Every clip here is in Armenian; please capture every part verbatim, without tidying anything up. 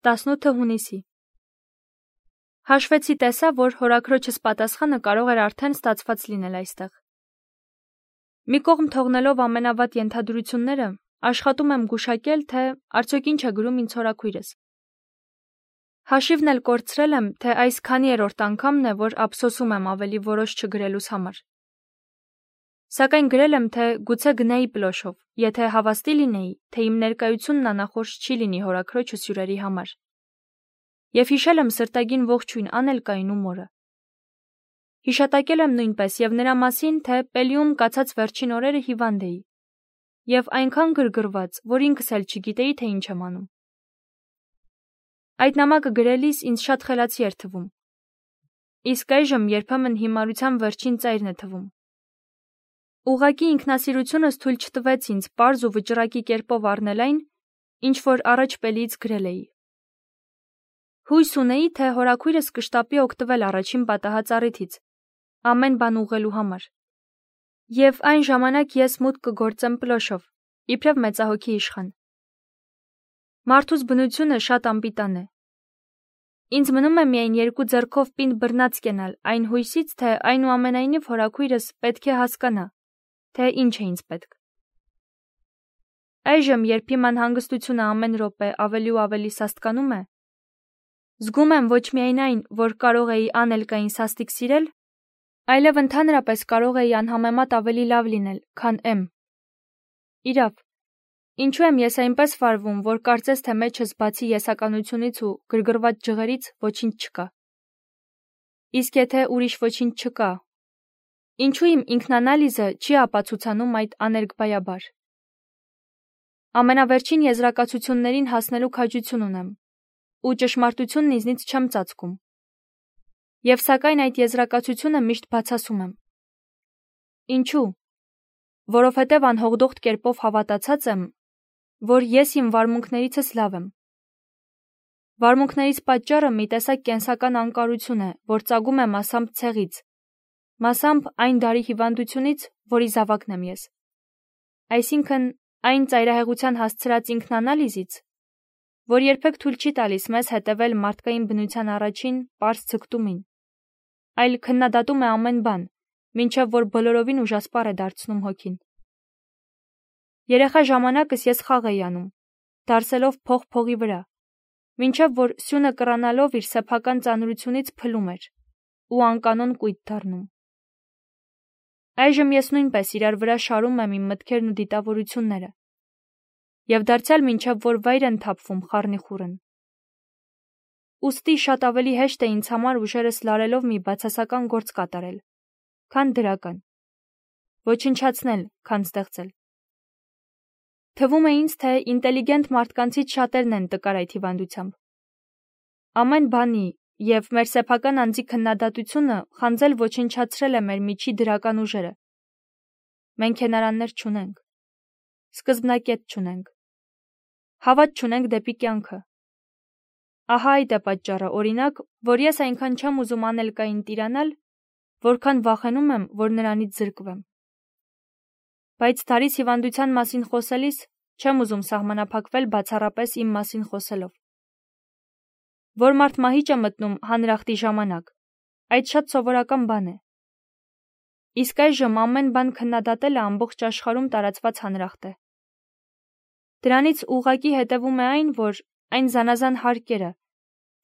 տասնութը հունիսի։ Հաշվեցի տեսա, որ հորաքրոջս պատասխանը կարող էր արդեն ստացված լինել այստեղ։ Մի կողմ թողնելով ամենավատ ենթադրությունները, աշխատում եմ գուշակել, թե արդյոք ինչ է գրում ինձ հորաքույրս։ Հաշիվն էլ կորցրել եմ, թե այս քանի երրորդ անգամն է, որ ափսոսում եմ ավելի որոշ չգրելուս համար։ Սակայն գրել եմ, թե գուցե գնայի Պլոշով, եթե հավաստի լինեի, թե իմ ներկայությունն անախորժ չի լինի հորաքրոջս հյուրերի համար։ Եվ հիշել եմ սրտագին ողջույն Անելկային ու մորը։ Հիշատակել եմ նույնպես և նրա մասին, թե Պելիում կացած վերջին օրերը հիվանդ էի, և այնքան գրգռված, որ ինքս էլ չգիտեի, թե ինչ եմ անում։ Այդ նամակը գրելիս ինձ շատ խելացի էր թվում։ Իսկ այժմ երբեմն հիմարության վերջին ծայրն է թվում։ Ուղղակի ինքնասիրությունս թույլ չտվեց ինձ պարզ ու վճռակի կերպով առնել այն, ինչ որ առաջ Պելիից գրել էի։ Հույս ունեի, թե հորաքույրս կշտապի օգտվել առաջին պատահած առիթից, ամեն բան ուղղելու համար։ Եվ այն ժամանակ ես մուտք կգործեմ Պլոշով, իբրև մեծահոգի իշխան։ Մարդուս բնությունը շատ անպիտան է։ Ինձ մնում է միայն երկու ձեռքով պինդ բռնած կենալ այն հույսից, թե այնուամենայնիվ հորաքույրս պետք է հասկանա, թե ինչ է ինձ պետք։ Այժմ, երբ իմ անհանգստությունը ամեն րոպե ավելի ու ավելի սաստկանում է, զգում եմ ոչ միայն այն, որ կարող էի Անելկային սաստիկ սիրել, այլև ընդհանրապես կարող էի անհամեմատ ավելի լավ լինել, քան եմ։ Իրավ, ինչու եմ ես այնպես վարվում, որ կարծես թե մեջս բացի եսականությունից ու գրգռված ջղերից ոչինչ չկա։ Իսկ եթե ուրիշ ոչինչ չկա, ինչու իմ ինքնանալիզը չի ապացուցանում այդ աներկբայաբար։ Ամենավերջին եզրակացություններին հասնելու քաջություն ունեմ, ու ճշմարտությունն ինձնից չեմ ծածկում։ Եվ սակայն այդ եզրակացությունը միշտ բացասում եմ։ Ինչու՞։ Որովհետև անհողդողդ կերպով հավատացած եմ, որ ես իմ վարմունքներիցս լավ եմ։ Վարմունքներից պատճառը մի տեսակ կենսական անկարություն է, որ ծագում է մասամբ ցեղից, մասամբ այն դարի հիվանդությունից, որի զավակն եմ ես։ Այսինքն այն ծայրահեղության հասցրած ինքնանալիզից, որ երբեք թույլ չի տալիս մեզ հետևել մարդկային բնության առաջին պարզ ձգտումին, այլ քննադատում է ամեն բան, մինչև որ բոլորովին ուժասպառ է դարձնում հոգին։ Երեխա ժամանակս ես խաղ էի անում, դարսելով փող փողի վրա, մինչև որ սյունը կռանալով իր սեփական ծանրությունից փլում էր ու անկանոն կույտ դառնում։ Այժմ ես նույնպես իրար վրա շարում եմ իմ մտքերն ու դիտավորությունները, և դարձյալ մինչև որ վայր են թափվում խառնիխուռն։ Ուստի շատ ավելի հեշտ է ինձ համար ուժերս լարելով մի բացասական գործ կատարել, քան դրական, ոչնչացնել, քան ստեղծել։ Թվում է ինձ, թե ինտելիգենտ մարդկանցից շատերն են տկար այդ հիվանդությամբ։ Ամեն բանի և մեր սեփական անձի քննադատությունը խանձել ոչնչացրել է մեր միջի դրական ուժերը։ Մենք հենարաններ չունենք, սկզբնակետ չունենք, հավատ չունենք դեպի կյանքը։ Ահա այդ է պատճառը, օրինակ, որ ես այնքան չեմ ուզում Անելկային տիրանալ, որքան վախենում եմ, որ նրանից զրկվեմ։ Բայց Դարիս հիվանդության մասին խոսելիս չեմ ուզում սահմանափակվել բացառապես իմ մասին խոսելով։ Որ մարդ մահիճ է մտնում հանրախտի ժամանակ, այդ շատ սովորական բան է։ Իսկ այժմ ամեն բան քննադատելը ամբողջ աշխարհում տարածված հանրախտ է։ Դրանից ուղղակի հետևում է այն, որ այն զանազան հարկերը,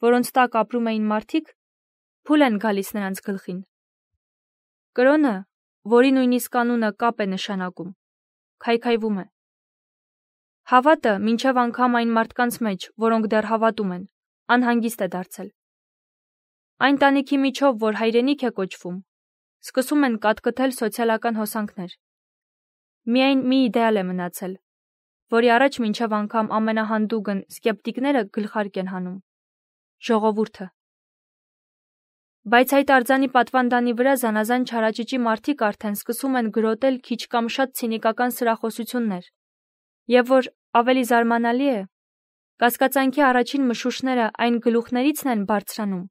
որոնց տակ ապրում էին մարդիկ, փուլ են գալիս նրանց գլխին։ Կրոնը, որի նույնիսկ անունը կապ է նշանակում, քայքայվում է։ Հավատը, մինչև անգամ այն մարդկանց մեջ, որոնք դեռ հավատում են, անհանգիստ է դարձել։ Այն տանիքի միջով, որ հայրենիք է կոչվում, սկսում են կատկտել սոցիալական հոսանքներ։ Միայն մի իդեալ է մնացել, որի առաջ մինչև անգամ ամենահանդուգն սկեպտիկները գլխարկ են հանում՝ ժողովուրդը։ Բայց այդ արձանի պատվանդանի վրա զանազան չարաճճի մարդիկ արդեն սկսում են գրոտել քիչ կամ շատ ցինիկական սրախոսություններ, և որ ավելի զարմանալի է, կասկածանքի առաջին մշուշները այն գլուխներիցն են բարձրանում,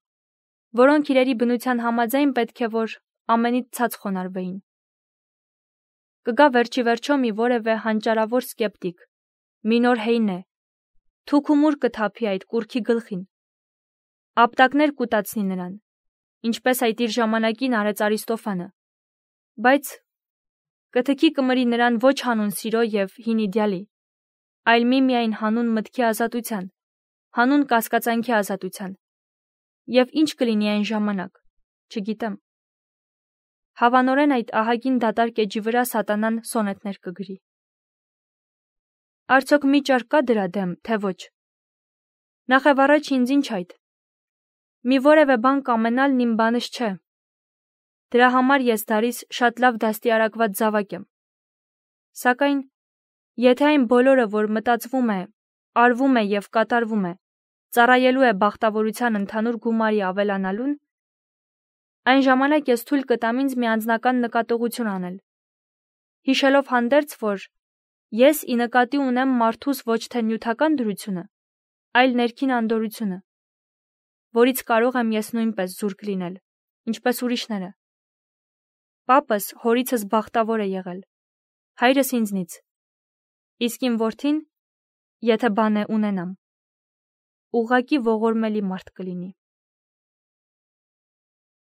որոնք իրերի բնության համաձայն պետք է որ ամենից ցած խոնարհվեին։ Կգա վերջիվերջո մի որևէ հանճարավոր սկեպտիկ, մի նոր Հեյնե, թուքումուր կթափի այդ կուռքի գլխին, ապտակներ կուտացնի նրան, ինչպես այդ իր ժամանակին արեց Արիստոֆանը, բայց կթքի կմրի նրան ոչ հանուն սիրո և հին իդեալի, այլ միմիայն հանուն մտքի ազատության, հանուն կասկածանքի ազատության, և ինչ կլինի այն ժամանակ, չգիտեմ։ Հավանորեն այդ ահագին դատարկ էջի վրա սատանան սոնետներ կգրի։ Արդյոք մի ճար կա դրա դեմ, թե ոչ։ Նախևառաջ ինձ ինչ այդ։ Մի որևէ բան կամենալն իմ բանս չէ։ Դրա համար ես դարիս շատ լավ դաստիարակված զավակ եմ։ Սակայն, եթե այն բոլորը, որ մտածվում է, արվում է և կատարվում է, ծառայելու է բախտավորության ընդհանուր գումարի ավելանալուն, այն ժամանակ ես թույլ կտամ ինձ մի անձնական նկատողություն անել, հիշելով հանդերձ, որ ես ի նկատի ունեմ մարդուս ոչ թե նյութական դրությունը, այլ ներքին անդորրությունը, որից կարող եմ ես նույնպես զուրկ լինել, ինչպես ուրիշները։ Պապս հորիցս բախտավոր է եղել, հայրս ինձնից, իսկ իմ որդին, եթե բան է ունենամ, ուղղակի ողորմելի մարդ կլինի։